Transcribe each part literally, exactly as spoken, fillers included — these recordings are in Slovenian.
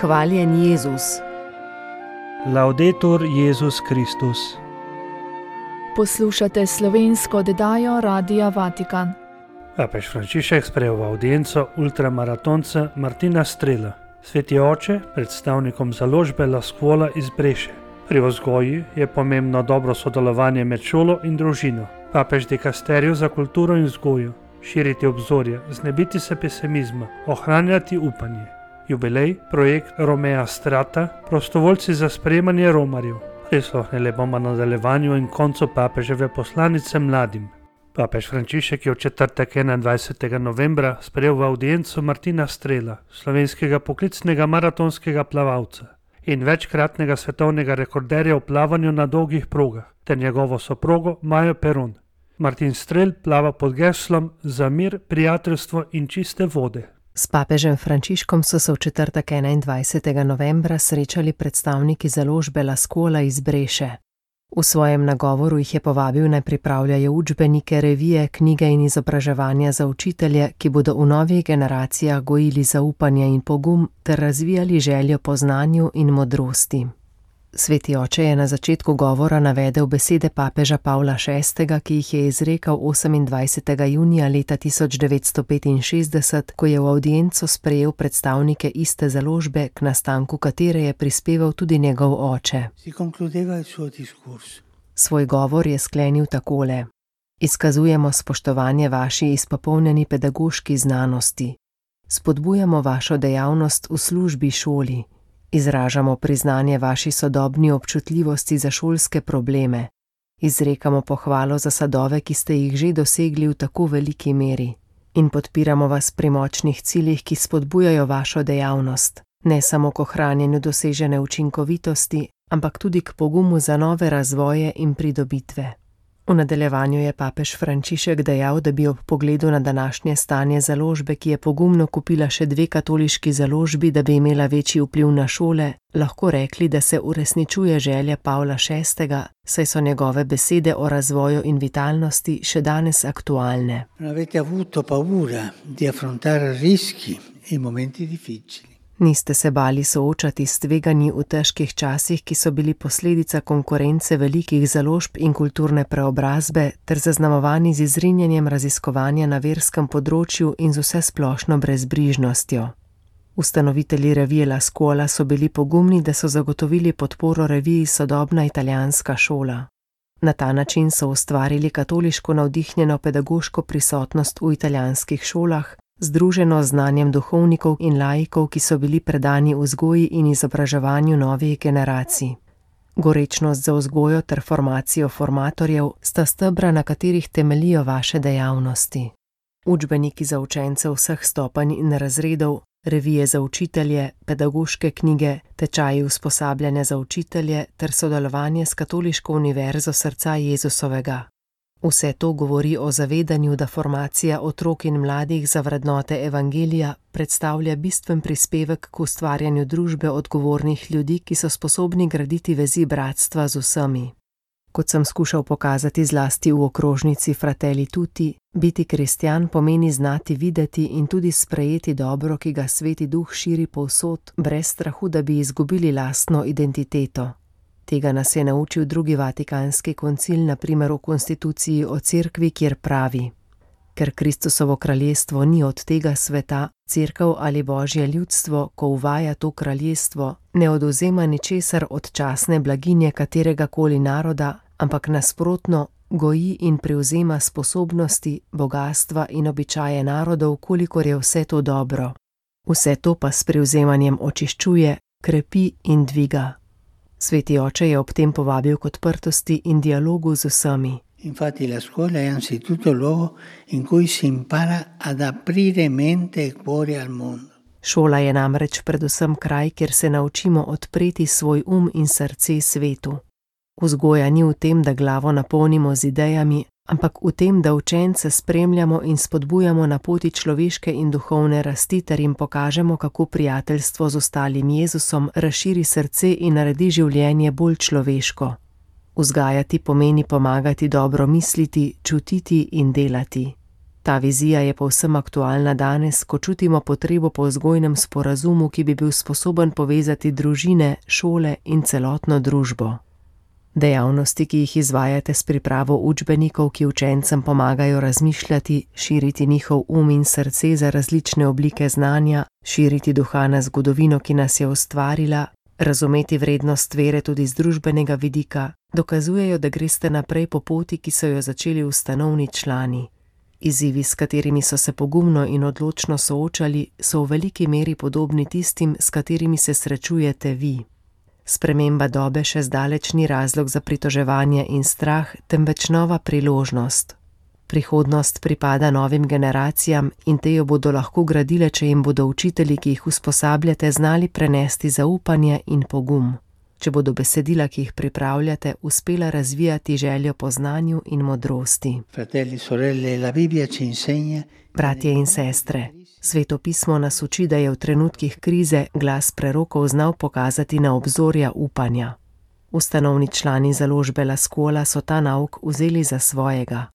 Hvaljen Jezus. Laudetur Jezus Kristus. Poslušate slovensko oddajo Radia Vatikan. Papež Frančišek sprejel v avdienco ultramaratonca Martina Strela, sveti oče, predstavnikom založbe La Scuola iz Breše. Pri vzgoji je pomembno dobro sodelovanje med šolo in družino. Papež dikasteriju za kulturo in vzgojo, širiti obzorje, znebiti se pesimizma, ohranjati upanje. Jubilej, projekt Romea Strata, prostovoljci za sprejemanje romarjev. Prisluhnili bomo nadaljevanju in koncu papeževe poslanice mladim. Papež Frančišek je v četrtek enaindvajsetega novembra sprejel v avdienco Martina Strela, slovenskega poklicnega maratonskega plavalca in večkratnega svetovnega rekorderja v plavanju na dolgih progah, ter njegovo soprogo Majo Peron. Martin Strel plava pod geslom za mir, prijateljstvo in čiste vode. S papežem Frančiškom so se v četrtek enaindvajsetega novembra srečali predstavniki založbe La Scuola iz Breše. V svojem nagovoru jih je povabil, naj pripravljajo učbenike, revije, knjige in izobraževanja za učitelje, ki bodo v novih generacijah gojili zaupanje in pogum ter razvijali željo po znanju in modrosti. Sveti oče je na začetku govora navedel besede papeža Pavla šestega, ki jih je izrekel osemindvajsetega junija leta tisoč devetsto petinšestdeset, ko je v avdienco sprejel predstavnike iste založbe, k nastanku katere je prispeval tudi njegov oče. Svoj govor je sklenil takole: Izkazujemo spoštovanje vaši izpopolnjeni pedagoški znanosti. Spodbujamo vašo dejavnost v službi šoli. Izražamo priznanje vaši sodobni občutljivosti za šolske probleme. Izrekamo pohvalo za sadove, ki ste jih že dosegli v tako veliki meri. In podpiramo vas pri močnih ciljih, ki spodbujajo vašo dejavnost, ne samo k ohranjanju dosežene učinkovitosti, ampak tudi k pogumu za nove razvoje in pridobitve. V nadaljevanju je papež Frančišek dejal, da bi ob pogledu na današnje stanje založbe, ki je pogumno kupila še dve katoliški založbi, da bi imela večji vpliv na šole, lahko rekli, da se uresničuje želja Pavla šestega, saj so njegove besede o razvoju in vitalnosti še danes aktualne. Avete avuto paura di affrontare rischi in momenti difficili. Niste se bali soočati s tveganji v težkih časih, ki so bili posledica konkurence velikih založb in kulturne preobrazbe, ter zaznamovani z izrinjenjem raziskovanja na verskem področju in z vsesplošno brezbrižnostjo. Ustanovitelji revije La Scuola so bili pogumni, da so zagotovili podporo reviji Sodobna italijanska šola. Na ta način so ustvarili katoliško navdihnjeno pedagoško prisotnost v italijanskih šolah, združeno z znanjem duhovnikov in laikov, ki so bili predani vzgoji in izobraževanju novih generacij. Gorečnost za vzgojo ter formacijo formatorjev sta stebra, na katerih temeljijo vaše dejavnosti. Učbeniki za učence vseh stopenj in razredov, revije za učitelje, pedagoške knjige, tečaji usposabljanja za učitelje ter sodelovanje s Katoliško univerzo srca Jezusovega. Vse to govori o zavedanju, da formacija otrok in mladih za vrednote evangelija predstavlja bistven prispevek k ustvarjanju družbe odgovornih ljudi, ki so sposobni graditi vezi bratstva z vsemi. Kot sem skušal pokazati zlasti v okrožnici Fratelli Tutti, biti kristjan pomeni znati videti in tudi sprejeti dobro, ki ga Sveti Duh širi povsod, brez strahu, da bi izgubili lastno identiteto. Tega nas je naučil drugi vatikanski koncil, na primer v konstituciji o cerkvi, kjer pravi: Ker Kristusovo kraljestvo ni od tega sveta, cerkev ali božje ljudstvo, ko uvaja to kraljestvo, ne odvzema ničesar od časne blaginje katerega koli naroda, ampak nasprotno goji in prevzema sposobnosti, bogastva in običaje narodov, kolikor je vse to dobro. Vse to pa s prevzemanjem očiščuje, krepi in dviga. Sveti oče je ob tem povabil k odprtosti in dialogu z vsemi. Infatti la scuola è anzitutto il luogo in cui si impara ad aprire mente e cuore al mondo. Šola je namreč predvsem kraj, kjer se naučimo odpreti svoj um in srce svetu. Vzgoja ni v tem, da glavo napolnimo z idejami, ampak v tem, da učence spremljamo in spodbujamo na poti človeške in duhovne rasti ter jim pokažemo, kako prijateljstvo z ostalim Jezusom razširi srce in naredi življenje bolj človeško. Vzgajati pomeni pomagati dobro misliti, čutiti in delati. Ta vizija je povsem aktualna danes, ko čutimo potrebo po vzgojnem sporazumu, ki bi bil sposoben povezati družine, šole in celotno družbo. Dejavnosti, ki jih izvajate s pripravo učbenikov, ki učencem pomagajo razmišljati, širiti njihov um in srce za različne oblike znanja, širiti duha na zgodovino, ki nas je ustvarila, razumeti vrednost vere tudi z družbenega vidika, dokazujejo, da greste naprej po poti, ki so jo začeli ustanovni člani. Izzivi, s katerimi so se pogumno in odločno soočali, so v veliki meri podobni tistim, s katerimi se srečujete vi. Sprememba dobe še zdaleč ni razlog za pritoževanje in strah, temveč nova priložnost. Prihodnost pripada novim generacijam in te jo bodo lahko gradile, če jim bodo učitelji, ki jih usposabljate, znali prenesti zaupanje in pogum. Če bodo besedila, ki jih pripravljate, uspela razvijati željo po znanju in modrosti. Fratelli, sorelle, la Bibbia ci insegna. Bratje in sestre, Sveto pismo nas uči, da je v trenutkih krize glas prerokov znal pokazati na obzorja upanja. Ustanovni člani založbe La Scuola so ta nauk vzeli za svojega.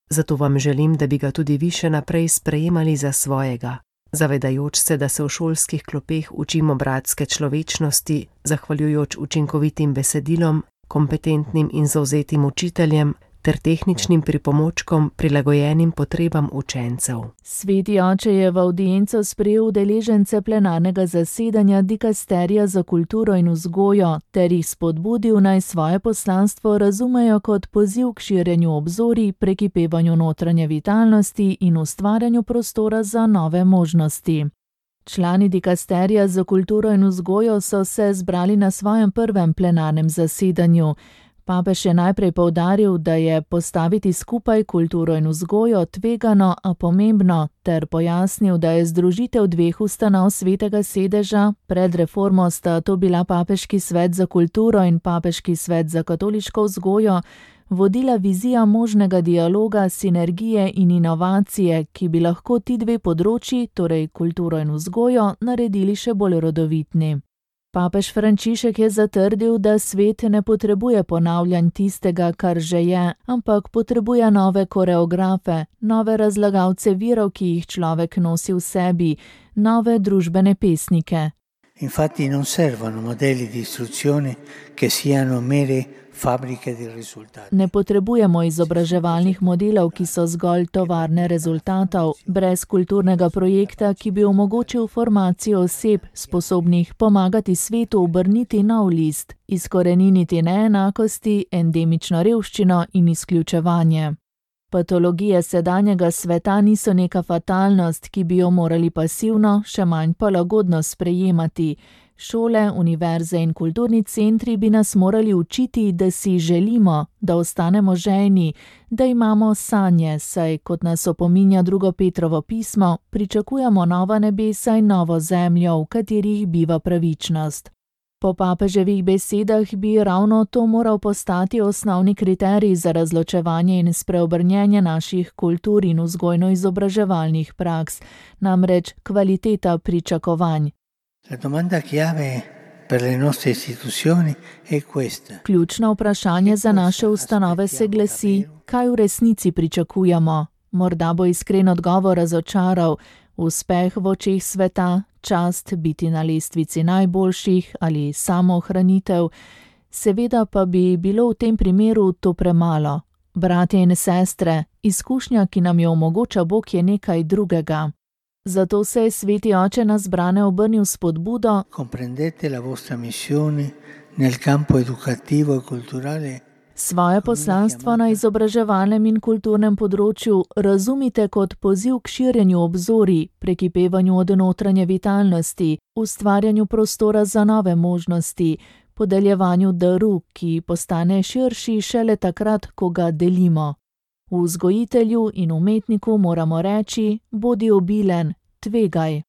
Zato vam želim, da bi ga tudi vi še naprej sprejemali za svojega, zavedajoč se, da se v šolskih klopeh učimo bratske človečnosti, zahvaljujoč učinkovitim besedilom, kompetentnim in zavzetim učiteljem ter tehničnim pripomočkom, prilagojenim potrebam učencev. Sveti oče je v avdienco sprejel udeležence plenarnega zasedanja dikasterija za kulturo in vzgojo ter jih spodbudil, naj svoje poslanstvo razumejo kot poziv k širjenju obzorij, prekipevanju notranje vitalnosti in ustvarjanju prostora za nove možnosti. Člani dikasterija za kulturo in vzgojo so se zbrali na svojem prvem plenarnem zasedanju. Papež je najprej poudaril, da je postaviti skupaj kulturo in vzgojo tvegano, a pomembno, ter pojasnil, da je združitev dveh ustanov Svetega sedeža, pred reformo sta to bila Papeški svet za kulturo in Papeški svet za katoliško vzgojo, vodila vizija možnega dialoga, sinergije in inovacije, ki bi lahko ti dve področji, torej kulturo in vzgojo, naredili še bolj rodovitni. Papež Frančišek je zatrdil, da svet ne potrebuje ponavljanj tistega, kar že je, ampak potrebuje nove koreografe, nove razlagalce virov, ki jih človek nosi v sebi, nove družbene pesnike. Infatti non servono modelli di istruzione che siano mere fabbriche di risultati. Ne potrebujemo izobraževalnih modelov, ki so zgolj tovarne rezultatov, brez kulturnega projekta, ki bi omogočil formacijo oseb, sposobnih pomagati svetu obrniti nov list, izkoreniniti neenakosti, endemično revščino in izključevanje. Patologije sedanjega sveta niso neka fatalnost, ki bi jo morali pasivno, še manj pa lagodno sprejemati. Šole, univerze in kulturni centri bi nas morali učiti, da si želimo, da ostanemo žejni, da imamo sanje, saj, kot nas opominja drugo Petrovo pismo, pričakujemo nova nebesa in novo zemljo, v katerih biva pravičnost. Po papeževih besedah bi ravno to moral postati osnovni kriterij za razločevanje in spreobrnjenje naših kultur in vzgojno-izobraževalnih praks, namreč kvaliteta pričakovanj. La domanda chiave per le nostre istituzioni è questa. Ključno vprašanje za naše ustanove se glasi, kaj v resnici pričakujemo. Morda bo iskren odgovor razočaral, uspeh v očeh sveta, čast biti na lestvici najboljših ali samoohranitev. Seveda pa bi bilo v tem primeru to premalo. Bratje in sestre, izkušnja, ki nam jo omogoča Bog, je nekaj drugega. Zato se je Sveti oče na zbrane obrnil s spodbudo: Comprendete la vostra missione nel campo educativo e culturale. Svoje poslanstvo na izobraževalnem in kulturnem področju razumite kot poziv k širjenju obzorij, prekipevanju od notranje vitalnosti, ustvarjanju prostora za nove možnosti, podeljevanju daru, ki postane širši šele takrat, ko ga delimo. V vzgojitelju in umetniku moramo reči: bodi obilen, tvegaj.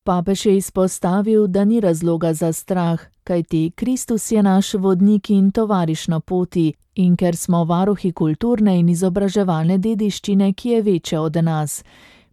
Papež je izpostavil, da ni razloga za strah, kajti Kristus je naš vodnik in tovariš na poti, in ker smo varuhi kulturne in izobraževalne dediščine, ki je večja od nas.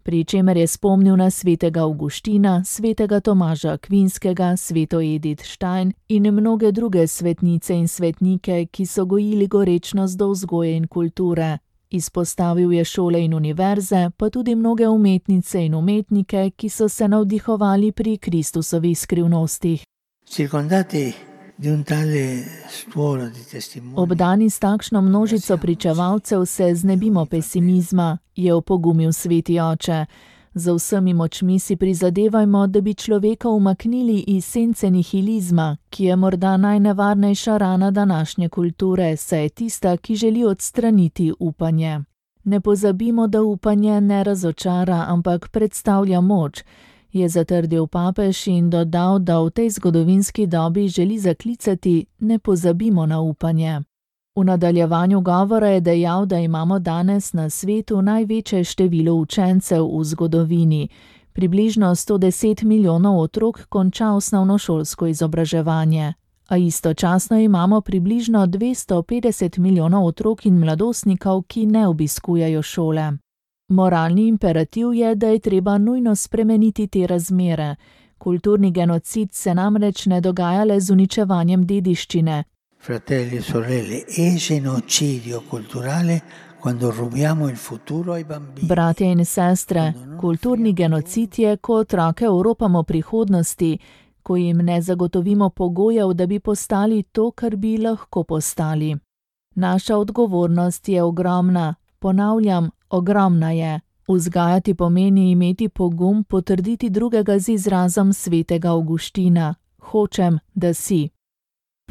Pri čemer je spomnil na svetega Avguština, svetega Tomaža Akvinskega, sveto Edith Stein in mnoge druge svetnice in svetnike, ki so gojili gorečnost do vzgoje in kulture. Izpostavil je šole in univerze, pa tudi mnoge umetnice in umetnike, ki so se navdihovali pri Kristusovih skrivnostih. Circondati di un tale stuolo di testimoni. Obdani s takšno množico pričevalcev se znebimo pesimizma, je opogumil sveti oče. Z vsemi močmi si prizadevajmo, da bi človeka umaknili iz sence nihilizma, ki je morda najnevarnejša rana današnje kulture, saj je tista, ki želi odstraniti upanje. Ne pozabimo, da upanje ne razočara, ampak predstavlja moč, je zatrdil papež in dodal, da v tej zgodovinski dobi želi zaklicati: ne pozabimo na upanje. V nadaljevanju govora je dejal, da imamo danes na svetu največje število učencev v zgodovini. Približno sto deset milijonov otrok konča osnovnošolsko izobraževanje, a istočasno imamo približno dvesto petdeset milijonov otrok in mladostnikov, ki ne obiskujejo šole. Moralni imperativ je, da je treba nujno spremeniti te razmere. Kulturni genocid se namreč ne dogaja le z uničevanjem dediščine. Fratelli e sorelle, è genocidio culturale quando rubiamo il futuro ai bambini. Bratje in sestre, kulturni genocid je, ko otroke oropamo prihodnosti, ko jim ne zagotovimo pogojev, da bi postali to, kar bi lahko postali. Naša odgovornost je ogromna, ponavljam, ogromna je. Vzgajati pomeni imeti pogum potrditi drugega z izrazom svetega Avguština: hočem, da si.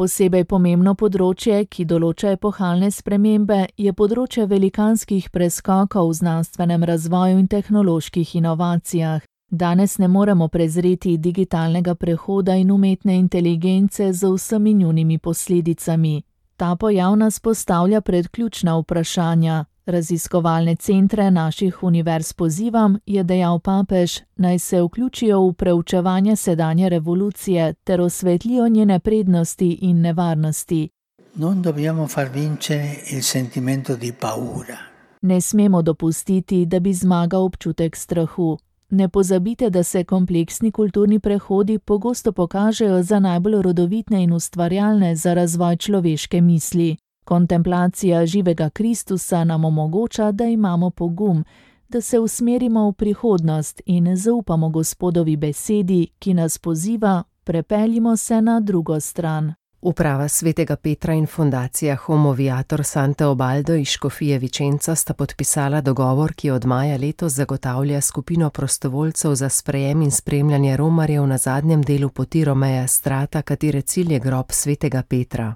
Posebej pomembno področje, ki določa epohalne spremembe, je področje velikanskih preskokov v znanstvenem razvoju in tehnoloških inovacijah. Danes ne moremo prezreti digitalnega prehoda in umetne inteligence z vsemi njunimi posledicami. Ta pojav nas postavlja pred ključna vprašanja. Raziskovalne centre naših univerz pozivam, je dejal papež, naj se vključijo v preučevanje sedanje revolucije ter osvetlijo njene prednosti in nevarnosti. Non dobbiamo far vincere il sentimento di paura. Ne smemo dopustiti, da bi zmagal občutek strahu. Ne pozabite, da se kompleksni kulturni prehodi pogosto pokažejo za najbolj rodovitne in ustvarjalne za razvoj človeške misli. Kontemplacija živega Kristusa nam omogoča, da imamo pogum, da se usmerimo v prihodnost in zaupamo Gospodovi besedi, ki nas poziva: prepeljimo se na drugo stran. Uprava Svetega Petra in fundacija Homo Viator Santo Ubaldo iz Škofije Vicenza sta podpisala dogovor, ki od maja letos zagotavlja skupino prostovoljcev za sprejem in spremljanje romarjev na zadnjem delu poti Romea Strata, katere cilj je grob Svetega Petra.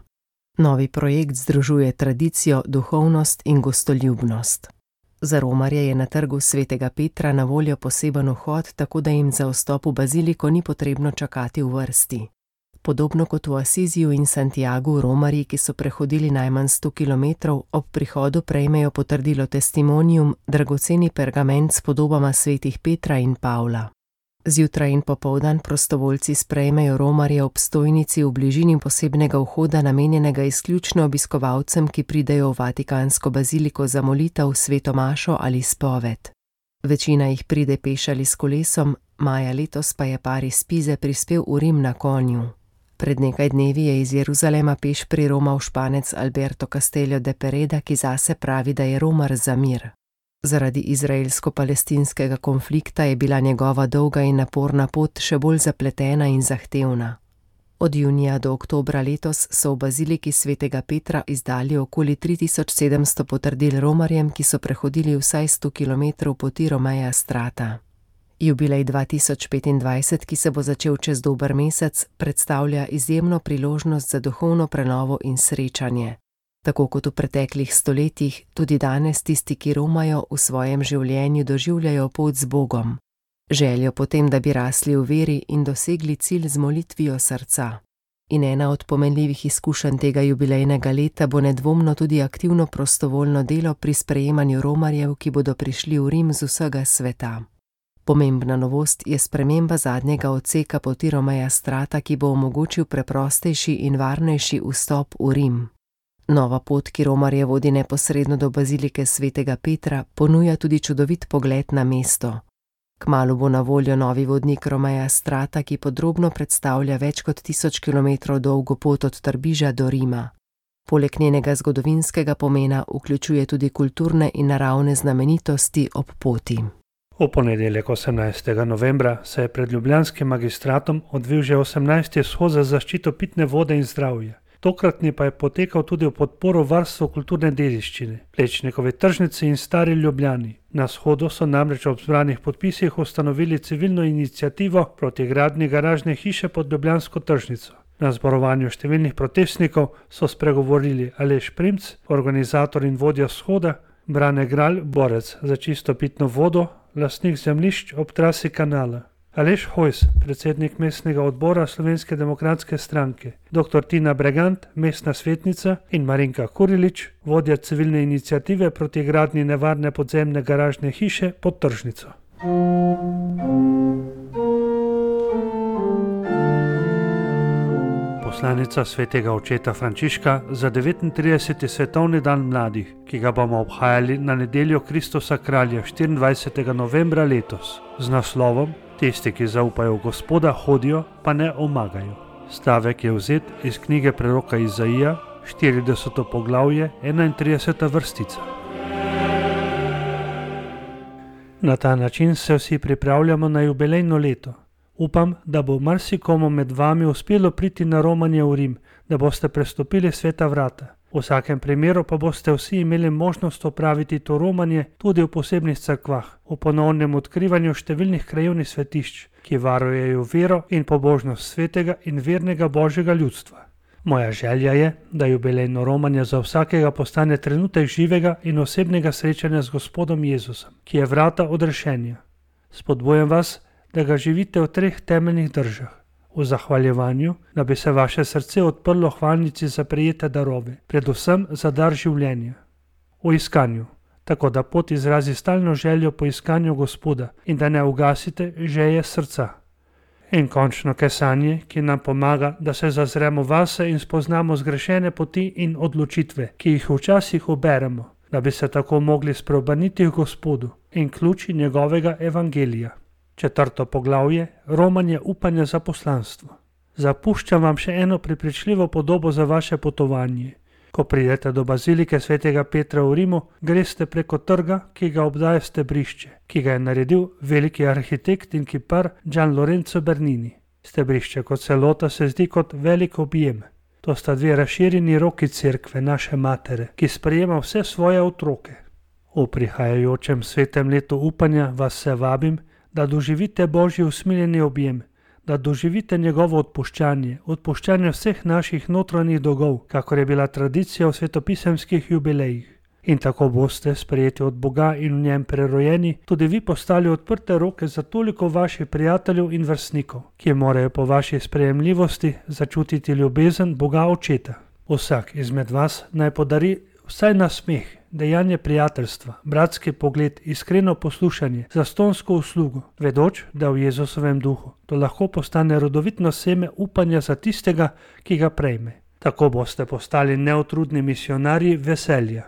Novi projekt združuje tradicijo, duhovnost in gostoljubnost. Za romarje je na trgu Svetega Petra na voljo poseben vhod, tako da jim za vstop v baziliko ni potrebno čakati v vrsti. Podobno kot v Asiziju in Santiagu, romarji, ki so prehodili najmanj sto kilometrov, ob prihodu prejmejo potrdilo testimonium, dragoceni pergament s podobama svetih Petra in Pavla. Zjutraj in popoldan prostovoljci sprejmejo romarje ob stojnici v bližini posebnega vhoda, namenjenega izključno obiskovalcem, ki pridejo v Vatikansko baziliko za molitev, sveto mašo ali spoved. Večina jih pride peš ali s kolesom, maja letos pa je par iz Pize prispel v Rim na konju. Pred nekaj dnevi je iz Jeruzalema peš priromal Španec Alberto Castello de Pereda, ki zase pravi, da je romar za mir. Zaradi izraelsko-palestinskega konflikta je bila njegova dolga in naporna pot še bolj zapletena in zahtevna. Od junija do oktobra letos so v baziliki Svetega Petra izdali okoli tri tisoč sedemsto potrdil romarjem, ki so prehodili vsaj sto kilometrov poti Romea Strata. Jubilej dva tisoč petindvajset, ki se bo začel čez dober mesec, predstavlja izjemno priložnost za duhovno prenovo in srečanje. Tako kot v preteklih stoletjih, tudi danes tisti, ki romajo, v svojem življenju doživljajo pot z Bogom. Željo potem, da bi rasli v veri in dosegli cilj z molitvijo srca. In ena od pomenljivih izkušenj tega jubilejnega leta bo nedvomno tudi aktivno prostovoljno delo pri sprejemanju romarjev, ki bodo prišli v Rim z vsega sveta. Pomembna novost je sprememba zadnjega odseka poti Romea Strata, ki bo omogočil preprostejši in varnejši vstop v Rim. Nova pot, ki romarje vodi neposredno do bazilike Svetega Petra, ponuja tudi čudovit pogled na mesto. Kmalu bo na voljo novi vodnik Romea Strata, ki podrobno predstavlja več kot tisoč kilometrov dolgo pot od Trbiža do Rima. Poleg njenega zgodovinskega pomena vključuje tudi kulturne in naravne znamenitosti ob poti. V ponedeljek osemnajstega novembra se je pred ljubljanskim magistratom odvil že osemnajsti shod za zaščito pitne vode in zdravja. Tokratni pa je potekal tudi v podporo varstvu kulturne dediščine, Plečnikovi tržnici in Stari Ljubljani. Na shodu so namreč ob zbranih podpisih ustanovili civilno iniciativo proti gradnji garažne hiše pod ljubljansko tržnico. Na zborovanju številnih protestnikov so spregovorili Aleš Primc, organizator in vodja shoda, Brane Gralj, borec za čisto pitno vodo, lastnik zemljišč ob trasi kanala, Aleš Hojs, predsednik mestnega odbora Slovenske demokratske stranke, doktor Tina Bregant, mestna svetnica, in Marinka Kurilič, vodja civilne iniciative proti gradnji nevarne podzemne garažne hiše pod tržnico. Poslanica svetega očeta Frančiška za devetintrideseti svetovni dan mladih, ki ga bomo obhajali na nedeljo Kristusa kralja štiriindvajsetega novembra letos, z naslovom Tisti, ki zaupajo v Gospoda, hodijo, pa ne omagajo. Stavek je vzet iz knjige preroka Izaija, štirideseto poglavje, enaintrideseta vrstica. Na ta način se vsi pripravljamo na jubilejno leto. Upam, da bo marsikomu med vami uspelo priti na romanje v Rim, da boste prestopili sveta vrata. V vsakem primeru pa boste vsi imeli možnost opraviti to romanje tudi v posebnih cerkvah, v ponovnem odkrivanju številnih krajevnih svetišč, ki varujejo vero in pobožnost svetega in vernega božjega ljudstva. Moja želja je, da jubilejno romanje za vsakega postane trenutek živega in osebnega srečanja z Gospodom Jezusom, ki je vrata odrešenja. Spodbujam vas, da ga živite v treh temeljnih držah. V zahvaljevanju, da bi se vaše srce odprlo hvalnici za prejete darove, predvsem za dar življenja. V iskanju, tako da pot izrazi stalno željo po iskanju Gospoda in da ne ugasite želje srca. In končno kesanje, ki nam pomaga, da se zazremo vase in spoznamo zgrešene poti in odločitve, ki jih včasih uberemo, da bi se tako mogli spreobrniti v Gospodu in ključi njegovega evangelija. Četrto poglavje, romanje upanja za poslanstvo. Zapuščam vam še eno prepričljivo podobo za vaše potovanje. Ko pridete do bazilike svetega Petra v Rimu, greste preko trga, ki ga obdaja stebrišče, ki ga je naredil veliki arhitekt in kipar Gian Lorenzo Bernini. Stebrišče kot celota se zdi kot velik objem. To sta dve razširjeni roki cerkve, naše matere, ki sprejema vse svoje otroke. V prihajajočem svetem letu upanja vas se vabim, da doživite Božji usmiljeni objem, da doživite njegovo odpuščanje, odpuščanje vseh naših notranjih dolgov, kakor je bila tradicija v svetopisemskih jubilejih. In tako boste, sprejeti od Boga in v njem prerojeni, tudi vi postali odprte roke za toliko vaših prijateljev in vrstnikov, ki morajo po vaši sprejemljivosti začutiti ljubezen Boga Očeta. Vsak izmed vas naj podari vsaj nasmeh, dejanje prijateljstva, bratski pogled, iskreno poslušanje, zastonsko uslugo, vedoč, da v Jezusovem duhu to lahko postane rodovitno seme upanja za tistega, ki ga prejme. Tako boste postali neutrudni misionarji veselja.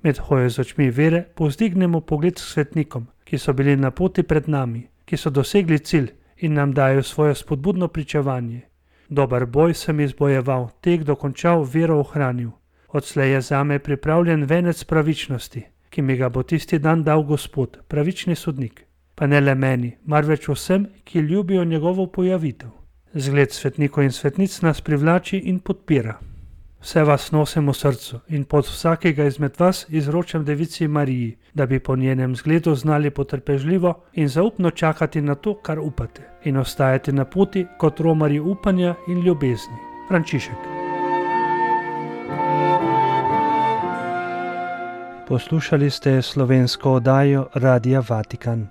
Med hojo z očmi vere povzdignemo pogled s svetnikom, ki so bili na poti pred nami, ki so dosegli cilj in nam dajo svoje spodbudno pričevanje. Dober boj sem izbojeval, tek dokončal, vero ohranil. Odslej je zame pripravljen venec pravičnosti, ki mi ga bo tisti dan dal Gospod, pravični sodnik. Pa ne le meni, marveč vsem, ki ljubijo njegovo pojavitev. Zgled svetnikov in svetnic nas privlači in podpira. Vse vas nosim v srcu in pod vsakega izmed vas izročam Devici Mariji, da bi po njenem zgledu znali potrpežljivo in zaupno čakati na to, kar upate, in ostajati na poti kot romarji upanja in ljubezni. Frančišek. Poslušali ste slovensko oddajo Radia Vatikan.